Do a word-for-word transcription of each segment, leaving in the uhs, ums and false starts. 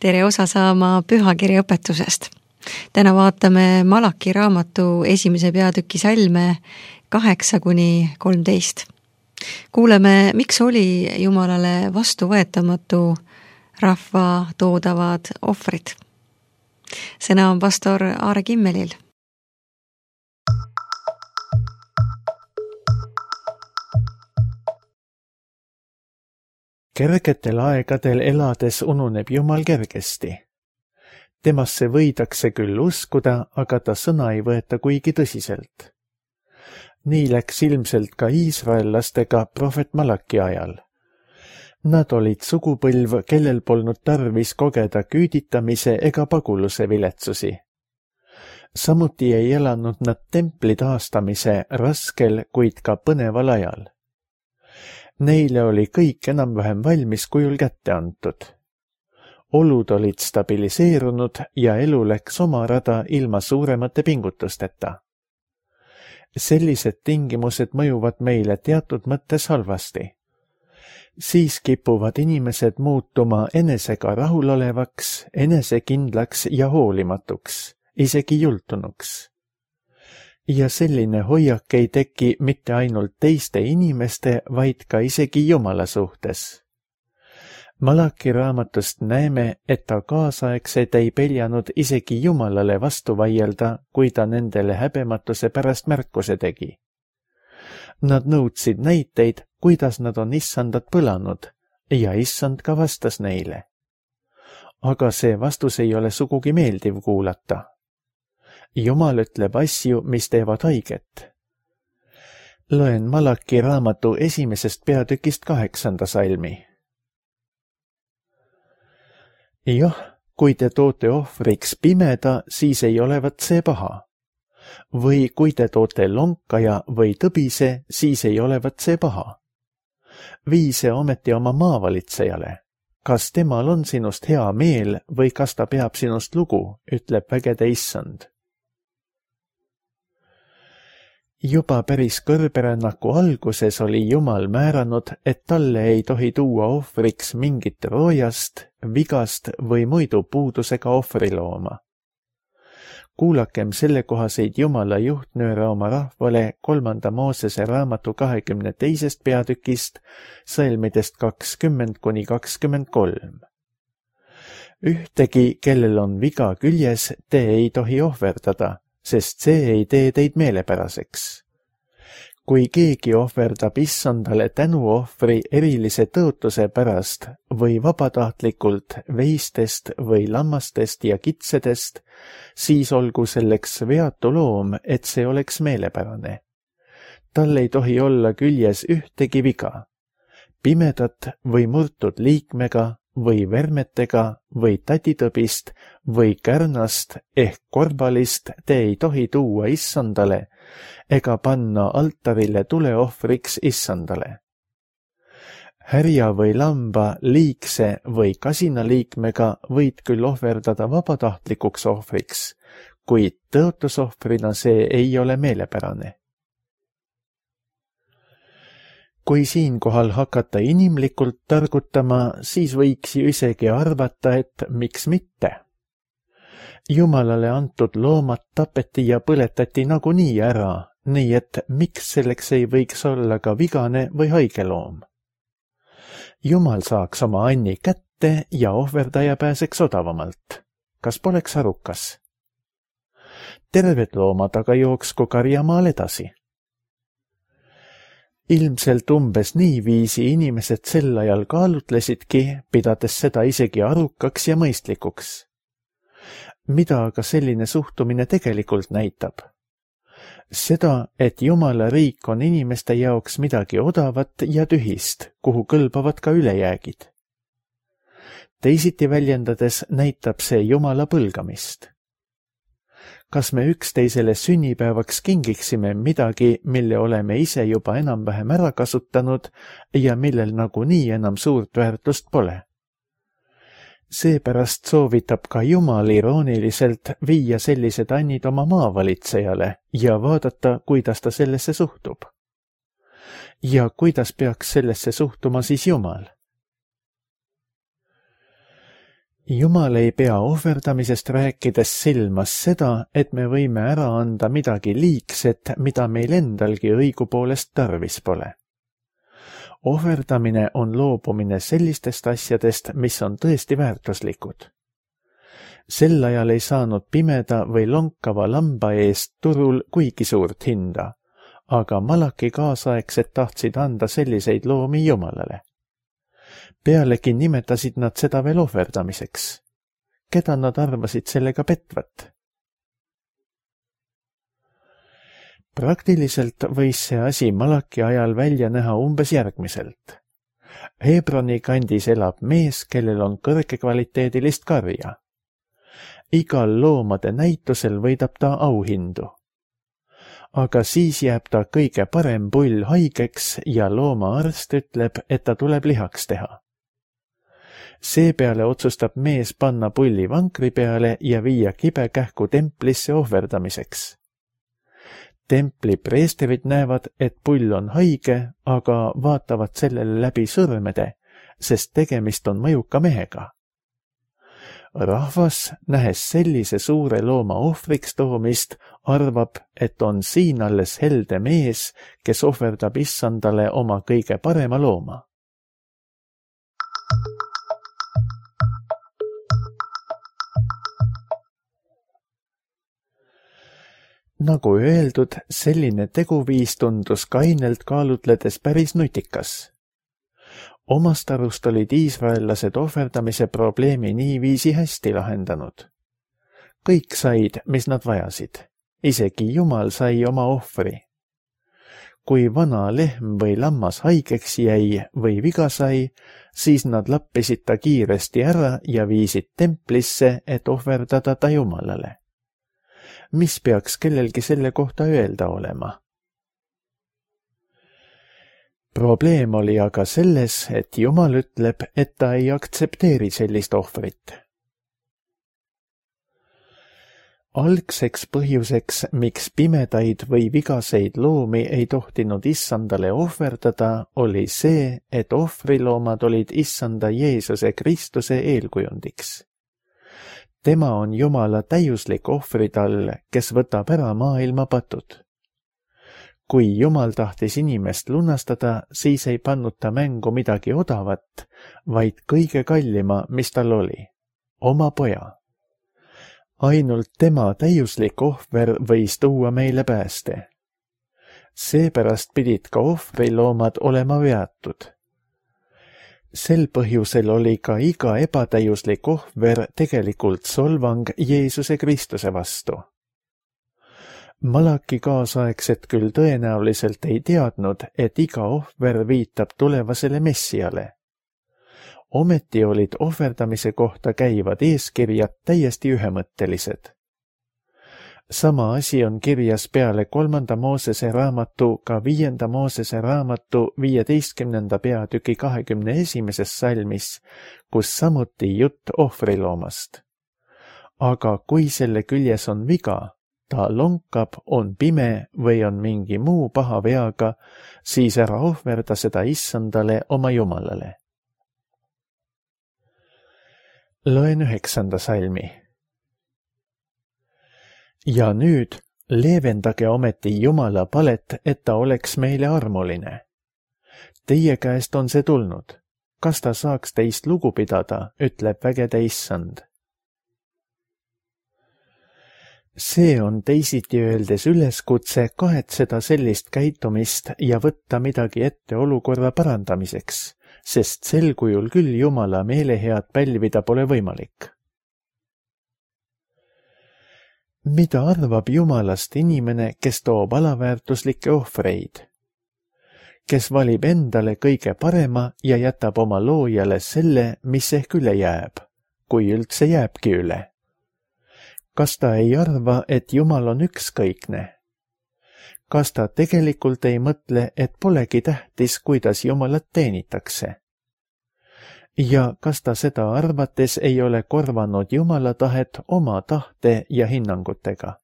tere osa saama pühakirja õpetusest. Täna vaatame Malaki raamatu esimese peatüki salme kaheksa kuni kolmteist. Kuuleme, miks oli Jumalale vastuvõetamatu rahva toodavad ohvrid. Sõna on pastor Aare Kimmelil. Kergetel aegadel elades ununeb Jumal kergesti. Temasse võidakse küll uskuda, aga ta sõna ei võeta kuigi tõsiselt. Nii läks ilmselt ka iisraellastega prohvet Malaki ajal. Nad olid sugupõlv, kellel polnud tarvis kogeda küüditamise ega paguluse viletsusi. Samuti ei elanud nad templi taastamise raskel, kuid ka põneval ajal. Neile oli kõik enam-vähem valmis kujul kätte antud. Olud olid stabiliseerunud ja elu läks oma rada ilma suuremate pingutusteta. Sellised tingimused mõjuvad meile teatud mõttes halvasti. Siis kipuvad inimesed muutuma enesega rahulolevaks, enesekindlaks ja hoolimatuks, isegi jultunuks. Ja selline hoiak ei teki mitte ainult teiste inimeste, vaid ka isegi Jumala suhtes. Malaki raamatust näeme, et ta kaasaegsed ei peljanud isegi Jumalale vastu vaielda, kui ta nendele häbematuse pärast märkuse tegi. Nad nõudsid näiteid, kuidas nad on issandat põlanud, ja issand ka vastas neile. Aga see vastus ei ole sugugi meeldiv kuulata. Jumal ütleb asju, mis teevad haiget. Loen Malaki raamatu esimesest peatükist kaheksanda salmi. Jah, kui te toote ohvriks pimeda, siis ei olevat see paha. Või kui te toote lonkaja või tõbise, siis ei olevat see paha. Vii see ometi oma maavalitsejale. Kas temal on sinust hea meel või kas ta peab sinust lugu, ütleb vägede issand. Juba päris kõrberännaku alguses oli Jumal määranud, et talle ei tohi tuua ohvriks mingit roojast, vigast või muidu puudusega ohvrilooma. Kuulakem sellekohaseid Jumala juhtnööre oma rahvale kolmanda Moosese raamatu kahekümne teisest peatükist, salmidest kakskümmend kuni kakskümmend kolm. Ühtegi, kellel on viga küljes, te ei tohi ohverdada, sest see ei tee teid meelepäraseks. Kui keegi ohverdab issandale tänuohvri erilise tõotuse pärast või vabatahtlikult veistest või lammastest ja kitsedest, siis olgu selleks veatu loom, et see oleks meelepärane. Tal ei tohi olla küljes ühtegi viga, pimedat või murtud liikmega või vermetega või tatitõbist või kärnast ehk korbalist te ei tohi tuua issandale ega panna altarile tuleohvriks issandale. Härja või lamba liigse või kasinaliikmega võid küll ohverdada vabatahtlikuks ohvriks, kuid tõotusohvrina see ei ole meelepärane. Kui siinkohal hakata inimlikult targutama, siis võiks ju isegi arvata, et miks mitte. Jumalale antud loomad tapeti ja põletati nagunii ära, nii et miks selleks ei võiks olla ka vigane või haige loom. Jumal saaks oma anni kätte ja ohverdaja pääseks odavamalt. Kas poleks arukas? Terved loomad aga jooksku karjamaal edasi. Ilmselt umbes niiviisi inimesed sel ajal kaalutlesidki, pidades seda isegi arukaks ja mõistlikuks. Mida aga selline suhtumine tegelikult näitab? Seda, et Jumala riik on inimeste jaoks midagi odavat ja tühist, kuhu kõlbavad ka ülejäägid. Teisiti väljendades näitab see Jumala põlgamist. Kas me üksteisele sünnipäevaks kingiksime midagi, mille oleme ise juba enam-vähem ära kasutanud ja millel nagunii enam suurt väärtust pole? Seepärast soovitab ka Jumal irooniliselt viia sellised annid oma maavalitsejale ja vaadata, kuidas ta sellesse suhtub. Ja kuidas peaks sellesse suhtuma siis Jumal? Jumal ei pea ohverdamisest rääkides silmas seda, et me võime ära anda midagi liigset, mida meil endalgi õigupoolest tarvis pole. Ohverdamine on loobumine sellistest asjadest, mis on tõesti väärtuslikud. Sel ajal ei saanud pimeda või lonkava lamba eest turul kuigi suurt hinda, aga Malaki kaasaegsed tahtsid anda selliseid loomi Jumalale. Pealegi nimetasid nad seda veel ohverdamiseks. Keda nad arvasid sellega petvat? Praktiliselt võis see asi Malaki ajal välja näha umbes järgmiselt. Hebroni kandis elab mees, kellel on kõrgekvaliteedilist karja. Igal loomade näitusel võidab ta auhindu. Aga siis jääb ta kõige parem pull haigeks ja loomaarst ütleb, et ta tuleb lihaks teha. Seepeale otsustab mees panna pulli vankri peale ja viia kibekähku templisse ohverdamiseks. Templi preesterid näevad, et pull on haige, aga vaatavad sellele läbi sõrmede, sest tegemist on mõjuka mehega. Rahvas, nähes sellise suure looma ohvriks toomist, arvab, et on siin alles helde mees, kes ohverdab issandale oma kõige parema looma. Nagu öeldud, selline teguviis tundus kainelt kaalutledes päris nutikas. Omast arust olid iisraellased ohverdamise probleemi niiviisi hästi lahendanud. Kõik said, mis nad vajasid. Isegi Jumal sai oma ohvri. Kui vana lehm või lammas haigeks jäi või viga sai, siis nad lappisid ta kiiresti ära ja viisid templisse, et ohverdada ta Jumalale. Mis peaks kellelgi selle kohta öelda olema? Probleem oli aga selles, et Jumal ütleb, et ta ei aktsepteeri sellist ohvrit. Algseks põhjuseks, miks pimedaid või vigaseid loomi ei tohtinud issandale ohverdada, oli see, et ohvriloomad olid issanda Jeesuse Kristuse eelkujundiks. Tema on Jumala täiuslik ohvritall, kes võtab ära maailma patud. Kui Jumal tahtis inimest lunastada, siis ei pannud ta mängu midagi odavat, vaid kõige kallima, mis tal oli, oma poja. Ainult tema täiuslik ohver võis tuua meile pääste. Seepärast pidid ka ohvriloomad olema veatud. Sel põhjusel oli ka iga ebatäiuslik ohver tegelikult solvang Jeesuse Kristuse vastu. Malaki kaasaegsed küll tõenäoliselt ei teadnud, et iga ohver viitab tulevasele messiale. Ometi olid ohverdamise kohta käivad eeskirjad täiesti ühemõttelised. Sama asi on kirjas peale kolmanda Moosese raamatu ka viienda Moosese raamatu viieteistkümnenda peatüki kahekümne esimeses salmis, kus samuti jutt ohvriloomast. Aga kui selle küljes on viga, ta lonkab, on pime või on mingi muu paha veaga, siis ära ohverda seda issandale oma Jumalale. Loen üheksanda salmi. Ja nüüd leevendage ometi Jumala palet, et ta oleks meile armuline. Teie käest on see tulnud. Kas ta saaks teist lugu pidada, ütleb vägede issand. See on teisiti öeldes üleskutse kahetseda sellist käitumist ja võtta midagi ette olukorra parandamiseks, sest sel kujul küll Jumala meelehead pälvida pole võimalik. Mida arvab Jumalast inimene, kes toob alaväärtuslikke ohvreid? Kes valib endale kõige parema ja jätab oma loojale selle, mis ehk üle jääb, kui üldse jääbki üle? Kas ta ei arva, et Jumal on ükskõikne? Kas ta tegelikult ei mõtle, et polegi tähtis, kuidas Jumalat teenitakse? Ja kas ta seda arvates ei ole korvanud Jumala tahet oma tahte ja hinnangutega?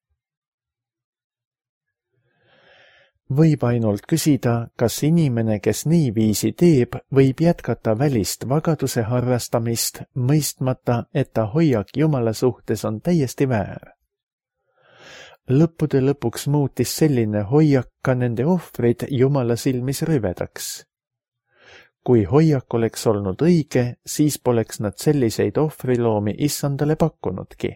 võib ainult küsida, kas inimene, kes niiviisi teeb, võib jätkata välist vagaduse harrastamist, mõistmata, et ta hoiak Jumala suhtes on täiesti väär. Lõppude lõpuks muutis selline hoiak ka nende ohvrid Jumala silmis rüvedaks. Kui hoiak oleks olnud õige, siis poleks nad selliseid ohvriloomi issandale pakkunudki.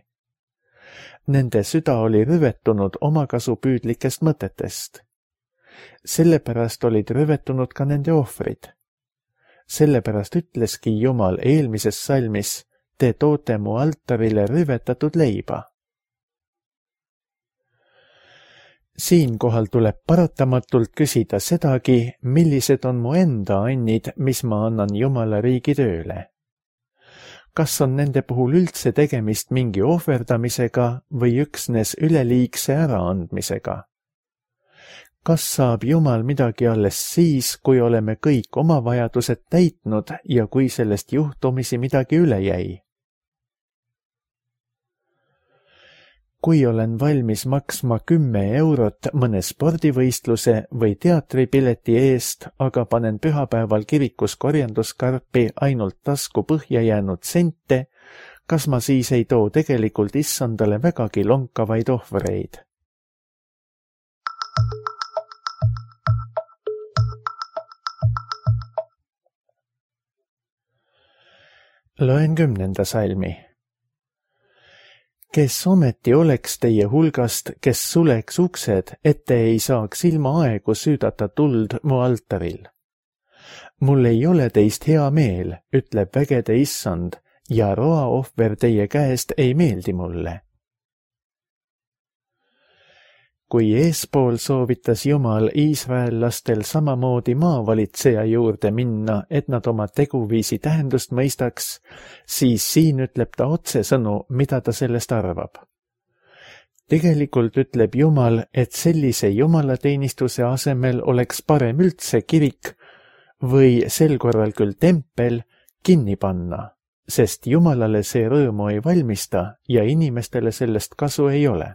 Nende süda oli rüvetunud omakasupüüdlikest mõtetest. Sellepärast olid rüvetunud ka nende ohvrid. Sellepärast ütleski Jumal eelmises salmis, te toote mu altarile rüvetatud leiba. Siinkohal tuleb paratamatult küsida sedagi, millised on mu enda annid, mis ma annan Jumala riigi tööle. Kas on nende puhul üldse tegemist mingi ohverdamisega või üksnes üleliigse äraandmisega? Kas saab Jumal midagi alles siis, kui oleme kõik oma vajadused täitnud ja kui sellest juhtumisi midagi üle jäi? Kui olen valmis maksma kümme eurot mõne spordivõistluse või teatripileti eest, aga panen pühapäeval kirikus korjanduskarpi ainult tasku põhja jäänud sente, kas ma siis ei too tegelikult issandale vägagi lonkavaid ohvreid? Loen kümnenda salmi. Kes ometi oleks teie hulgast, kes suleks uksed, et te ei saaks ilma aegu süüdata tuld mu altaril. Mul ei ole teist hea meel, ütleb vägede issand, ja roaohver teie käest ei meeldi mulle. Kui eespool soovitas Jumal iisraellastel samamoodi maavalitseja juurde minna, et nad oma teguviisi tähendust mõistaks, siis siin ütleb ta otsesõnu, mida ta sellest arvab. Tegelikult ütleb Jumal, et sellise jumalateenistuse asemel oleks parem üldse kirik või sel korral küll tempel kinni panna, sest Jumalale see rõõmu ei valmista ja inimestele sellest kasu ei ole.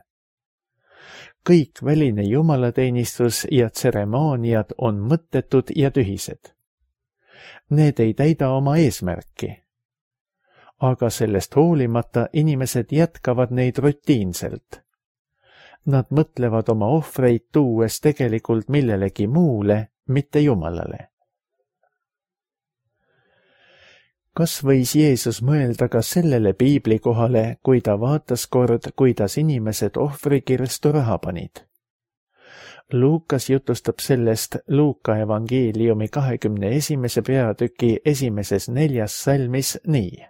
Kõik väline jumalateenistus ja tseremooniad on mõttetud ja tühised. Need ei täida oma eesmärki. Aga sellest hoolimata inimesed jätkavad neid rutiinselt. Nad mõtlevad oma ohvreid tuues tegelikult millelegi muule, mitte Jumalale. Kas võis Jeesus mõelda ka sellele piiblikohale, kui ta vaatas kord, kuidas inimesed ohvrikirstu raha panid? Luukas jutustab sellest Luuka evangeeliumi kahekümne esimese peatüki esimeses neljas salmis nii.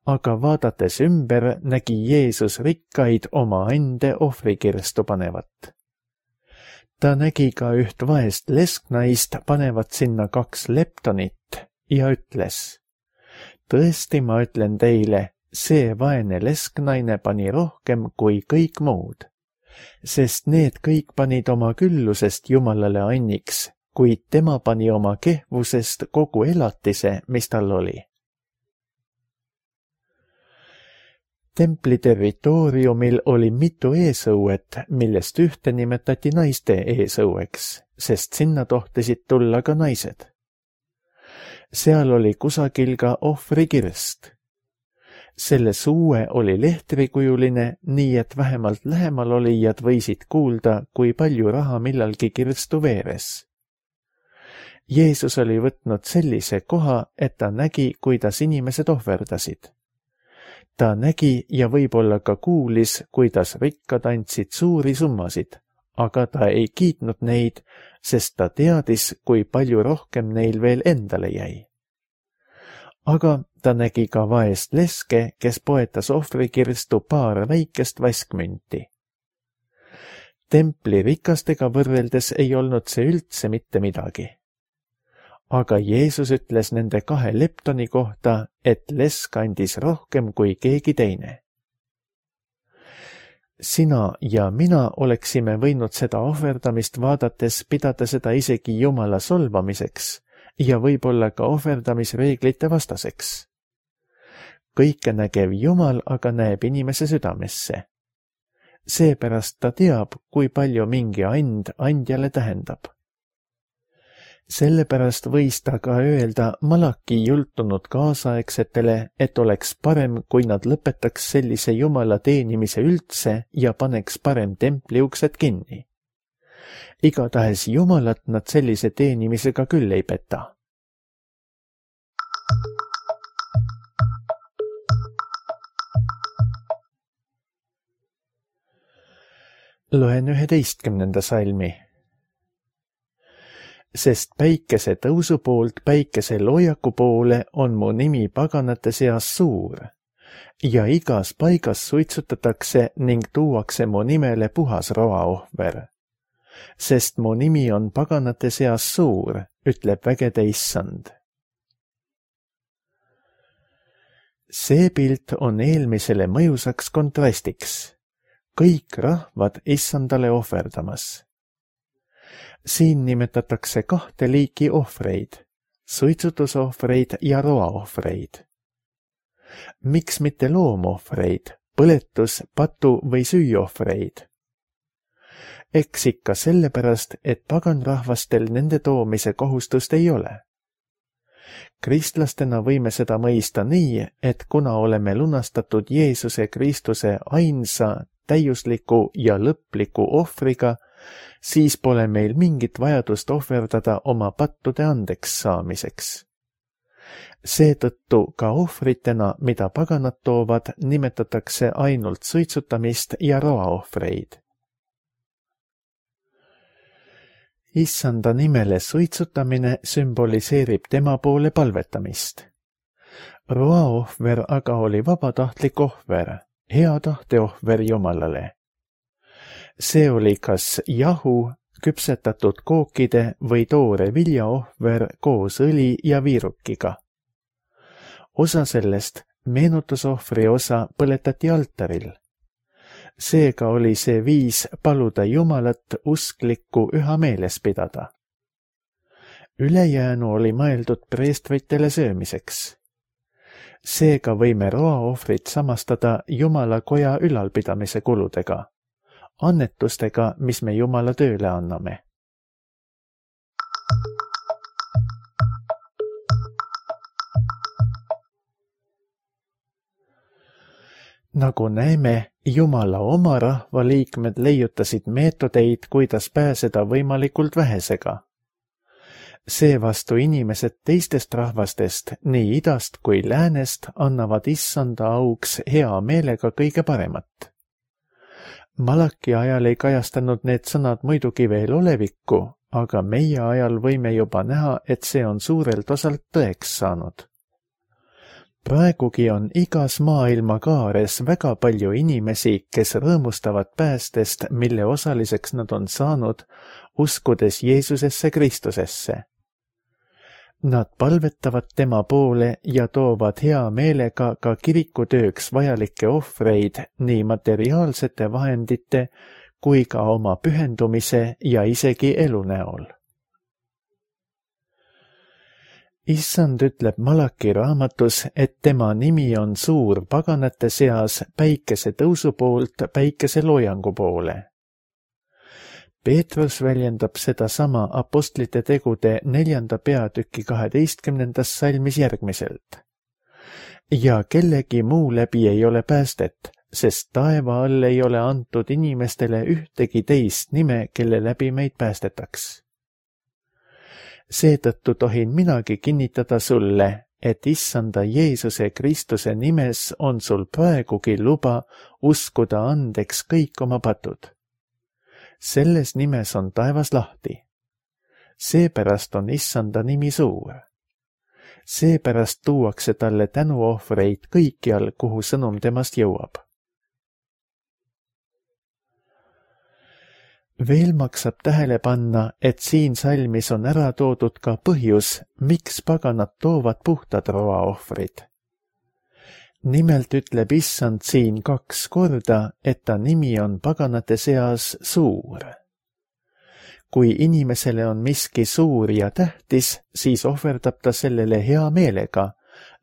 Aga vaadates ümber nägi Jeesus rikkaid oma ande ohvrikirstu panevat. Ta nägi ka üht vaest lesknaist panevat sinna kaks leptonit ja ütles: tõesti, ma ütlen teile, see vaene lesknaine pani rohkem kui kõik muud, sest need kõik panid oma küllusest Jumalale anniks, kuid tema pani oma kehvusest kogu elatise, mis tal oli. Templi territooriumil oli mitu eesõuet, millest ühte nimetati naiste eesõueks, sest sinna tohtisid tulla ka naised. Seal oli kusagil ka ohvrikirst. Selle suue oli lehtrikujuline, nii et vähemalt lähemal olijad võisid kuulda, kui palju raha millalgi kirstu veeres. Jeesus oli võtnud sellise koha, et ta nägi, kuidas inimesed ohverdasid. Ta nägi ja võib-olla ka kuulis, kuidas rikkad andsid suuri summasid, aga ta ei kiitnud neid, sest ta teadis, kui palju rohkem neil veel endale jäi. Aga ta nägi ka vaest leske, kes poetas ohvrikirstu paar väikest vaskmünti. Templi rikastega võrreldes ei olnud see üldse mitte midagi. Aga Jeesus ütles nende kahe leptoni kohta, et lesk andis rohkem kui keegi teine. Sina ja mina oleksime võinud seda ohverdamist vaadates pidada seda isegi Jumala solvamiseks ja võib-olla ka ohverdamisreeglite vastaseks. Kõike nägev Jumal aga näeb inimese südamesse. seepärast ta teab, kui palju mingi and andjale tähendab. Sellepärast võis ta ka öelda Malaki jultunud kaasaegsetele, et oleks parem, kui nad lõpetaks sellise Jumala teenimise üldse ja paneks parem templi uksed kinni. Igatahes Jumalat nad sellise teenimisega küll ei peta. Loen üheteistkümnenda salmi. Sest päikese tõusu poolt päikese loojaku poole on mu nimi paganate seas suur ja igas paigas suitsutatakse ning tuuakse mu nimele puhas roaohver. Sest mu nimi on paganate seas suur, ütleb vägede issand. See pilt on eelmisele mõjusaks kontrastiks. Kõik rahvad issandale ohverdamas. Siin nimetatakse kahte liiki ohvreid, suitsutusohvreid ja roaohvreid. Miks mitte loomohvreid, põletus, patu või süüohvreid? Eks ikka sellepärast, et paganrahvastel nende toomise kohustust ei ole. Kristlastena võime seda mõista nii, et kuna oleme lunastatud Jeesuse Kristuse ainsa, täiusliku ja lõpliku ohvriga, siis pole meil mingit vajadust ohverdada oma pattude andeks saamiseks. Seetõttu ka ohvritena, mida paganad toovad, nimetatakse ainult suitsutamist ja roaohvreid. Issanda nimele suitsutamine sümboliseerib tema poole palvetamist. Roaohver aga oli vabatahtlik ohver, hea tahteohver Jumalale. See oli kas jahu, küpsetatud kookide või toore viljaohver koos õli ja viirukiga. Osa sellest, meenutusohvri osa, põletati altaril. Seega oli see viis paluda Jumalat usklikku üha meeles pidada. Ülejäänu oli mõeldud preestritele söömiseks. Seega võime roaohvrit samastada Jumala koja ülalpidamise kuludega, annetustega, mis me Jumala tööle anname. Nagu näeme, Jumala oma rahva liikmed leiutasid meetodeid, kuidas pääseda võimalikult vähesega. Seevastu inimesed teistest rahvastest, nii idast kui läänest, annavad issanda auks hea meelega kõige paremat. Malaki ajal ei kajastanud need sõnad muidugi veel olevikku, aga meie ajal võime juba näha, et see on suurelt osalt tõeks saanud. Praegugi on igas maailma kaares väga palju inimesi, kes rõõmustavad päästest, mille osaliseks nad on saanud, uskudes Jeesusesse Kristusesse. Nad palvetavad tema poole ja toovad hea meelega ka kirikutööks vajalikke ohvreid nii materiaalsete vahendite kui ka oma pühendumise ja isegi elu näol. Issand ütleb Malaki raamatus, et tema nimi on suur paganate seas päikese tõusu poolt päikese loojangu poole. Peetrus väljendab seda sama apostlite tegude neljanda peatüki kaheteistkümnendas salmis järgmiselt. Ja kellegi muu läbi ei ole päästet, sest taeva all ei ole antud inimestele ühtegi teist nime, kelle läbi meid päästetaks. Seetõttu tohin minagi kinnitada sulle, et issanda Jeesuse Kristuse nimes on sul praegugi luba uskuda andeks kõik oma patud. Selles nimes on taevas lahti. Seepärast on issanda nimi suur. Seepärast tuuakse talle tänuohvreid kõikjal, kuhu sõnum temast jõuab. Veel maksab tähele panna, et siin salmis on ära toodud ka põhjus, miks paganad toovad puhtad roaohvrid. Nimelt ütleb issand siin kaks korda, et ta nimi on paganate seas suur. Kui inimesele on miski suur ja tähtis, siis ohverdab ta sellele hea meelega,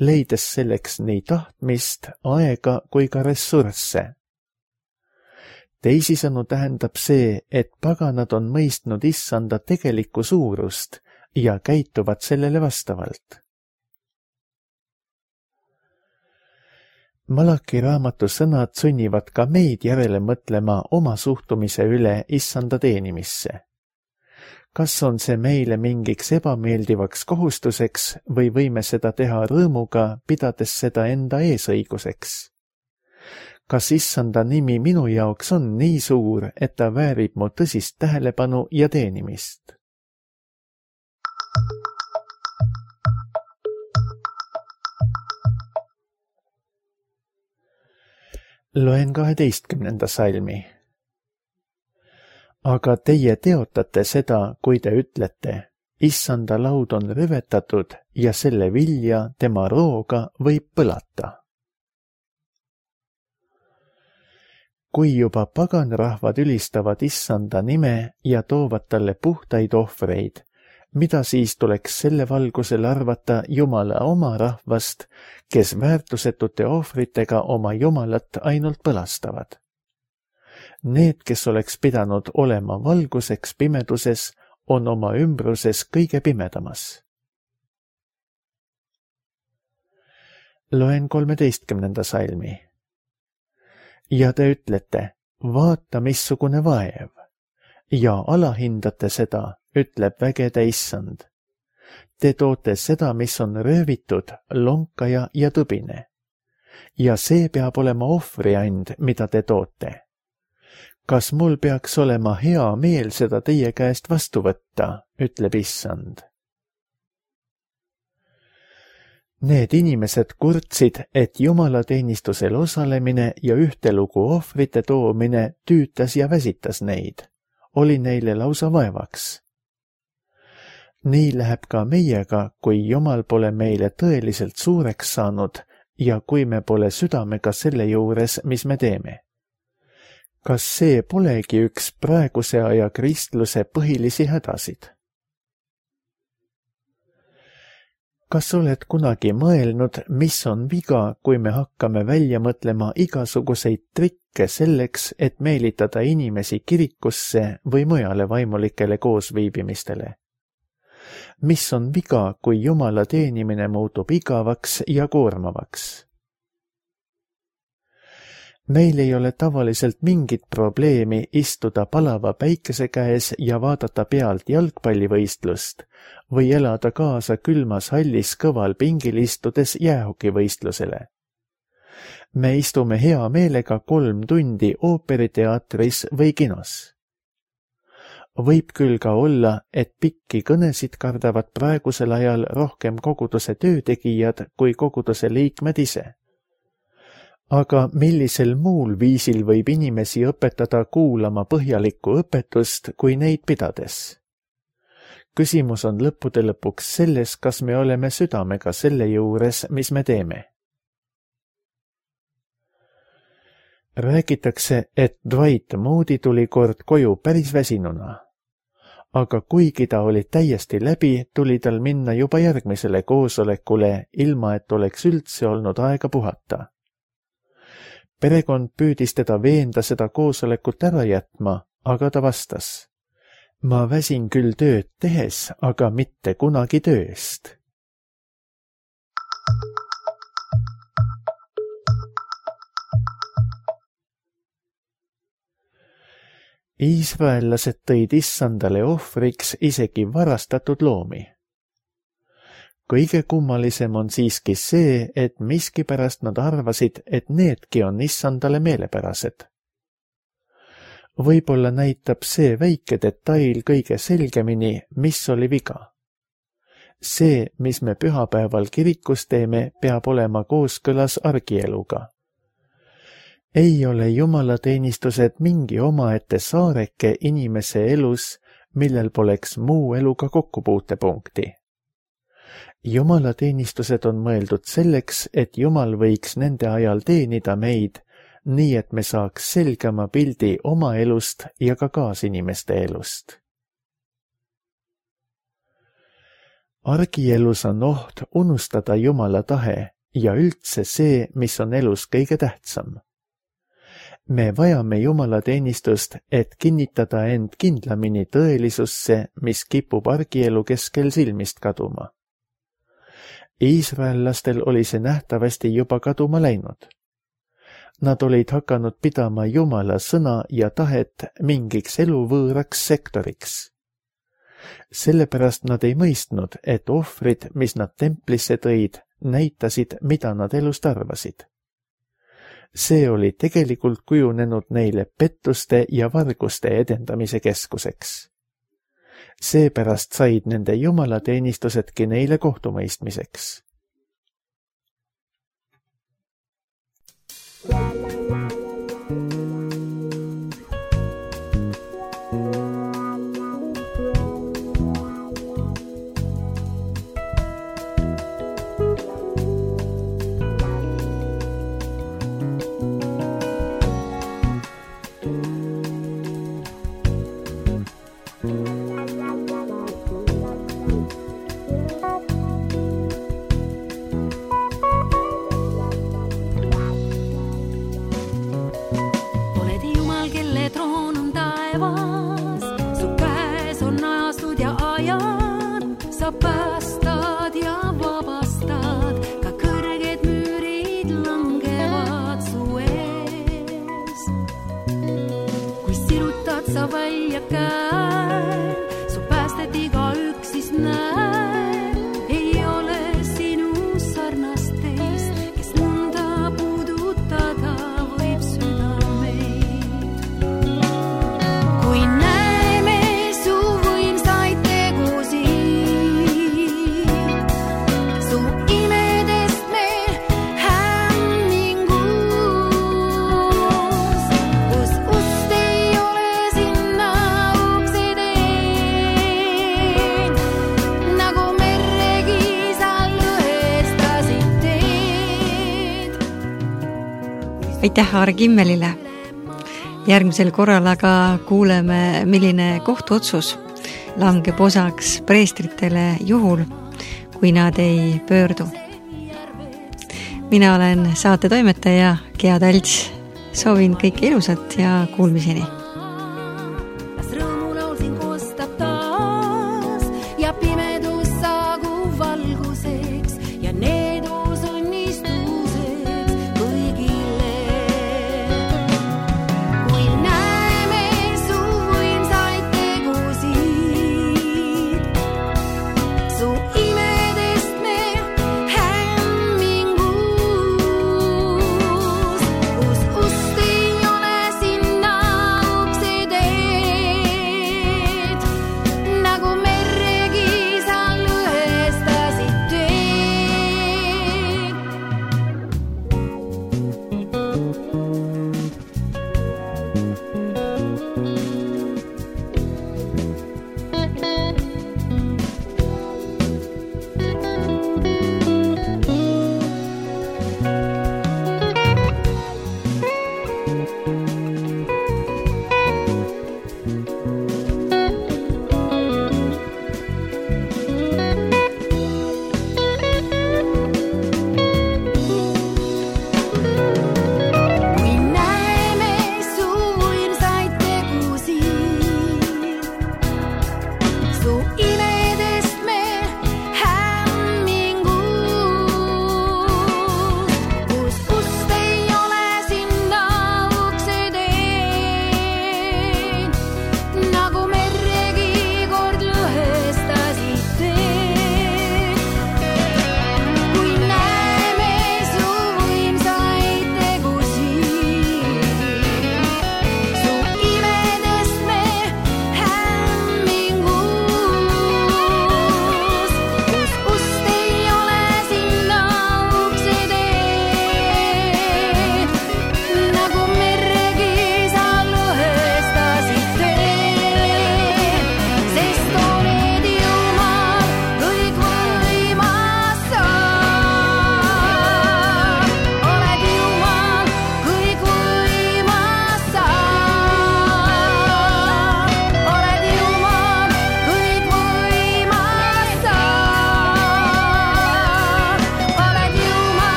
leides selleks nii tahtmist, aega kui ka ressursse. Teisisõnu tähendab see, et paganad on mõistnud issanda tegelikku suurust ja käituvad sellele vastavalt. Malaki raamatu sõnad sunnivad ka meid järele mõtlema oma suhtumise üle issanda teenimisse. Kas on see meile mingiks ebameeldivaks kohustuseks või võime seda teha rõõmuga, pidades seda enda eesõiguseks? Kas issanda nimi minu jaoks on nii suur, et ta väärib mu tõsist tähelepanu ja teenimist? Loen kaheteistkümnenda salmi. Aga teie teotate seda, kui te ütlete, issanda laud on rüvetatud ja selle vilja tema rooga võib põlata. Kui juba paganrahvad ülistavad issanda nime ja toovad talle puhtaid ohvreid, mida siis tuleks selle valgusel arvata Jumala oma rahvast, kes väärtusetute ohvritega oma Jumalat ainult põlastavad? Need, kes oleks pidanud olema valguseks pimeduses, on oma ümbruses kõige pimedamas. Loen kolmeteistkümnenda salmi. Ja te ütlete, vaata missugune vaev, ja alahindate seda, ütleb vägede issand. Te toote seda, mis on röövitud, lonkaja ja tõbine. Ja see peab olema ohvriand, mida te toote. Kas mul peaks olema hea meel seda teie käest vastu võtta, ütleb issand. Need inimesed kurtsid, et jumalateenistusel osalemine ja ühtelugu ohvrite toomine tüütas ja väsitas neid, oli neile lausa vaevaks. Nii läheb ka meiega, kui Jumal pole meile tõeliselt suureks saanud ja kui me pole südamega selle juures, mis me teeme. Kas see polegi üks praeguse aja kristluse põhilisi hädasid? Kas oled kunagi mõelnud, mis on viga, kui me hakkame välja mõtlema igasuguseid trikke selleks, et meelitada inimesi kirikusse või mujale vaimulikele koosviibimistele? Mis on viga, kui Jumala teenimine muutub igavaks ja koormavaks? Meil ei ole tavaliselt mingit probleemi istuda palava päikese käes ja vaadata pealt jalgpallivõistlust või elada kaasa külmas hallis kõval pingil istudes jäähokivõistlusele. Me istume hea meelega kolm tundi ooperiteatris või kinos. Võib küll ka olla, et pikki kõnesid kardavad praegusel ajal rohkem koguduse töötegijad kui koguduse liikmed ise. Aga millisel muul viisil võib inimesi õpetada kuulama põhjalikku õpetust kui neid pidades? Küsimus on lõppude lõpuks selles, kas me oleme südamega selle juures, mis me teeme. Räägitakse, et Dwight Moody tuli kord koju päris väsinuna. Aga kuigi ta oli täiesti läbi, tuli tal minna juba järgmisele koosolekule, ilma et oleks üldse olnud aega puhata. Perekond püüdis teda veenda seda koosolekut ära jätma, aga ta vastas. Ma väsin küll tööd tehes, aga mitte kunagi tööst. Iisraellased tõid issandale ohvriks isegi varastatud loomi. Kõige kummalisem on siiski see, et miskipärast nad arvasid, et needki on issandale meelepärased. Võib-olla näitab see väike detail kõige selgemini, mis oli viga. See, mis me pühapäeval kirikus teeme, peab olema kooskõlas argieluga. Ei ole jumalateenistused mingi omaette saareke inimese elus, millel poleks muu eluga kokkupuutepunkti. Jumalateenistused on mõeldud selleks, et Jumal võiks nende ajal teenida meid, nii et me saaks selgema pildi oma elust ja ka kaasinimeste elust. Argielus on oht unustada Jumala tahe ja üldse see, mis on elus kõige tähtsam. Me vajame jumalateenistust, et kinnitada end kindlamini tõelisusse, mis kipub argielu keskel silmist kaduma. Iisraellastel oli see nähtavasti juba kaduma läinud. Nad olid hakanud pidama Jumala sõna ja tahet mingiks eluvõõraks sektoriks. Sellepärast nad ei mõistnud, et ohvrid, mis nad templisse tõid, näitasid, mida nad elust arvasid. See oli tegelikult kujunenud neile pettuste ja varguste edendamise keskuseks. Seepärast said nende jumalateenistusedki neile kohtumõistmiseks. Aitäh Aare Kimmelile. Järgmisel korral aga kuuleme, milline kohtuotsus langeb osaks preestritele juhul, kui nad ei pöördu. Mina olen saate toimetaja Gea Talts. Soovin kõike ilusat ja kuulmiseni.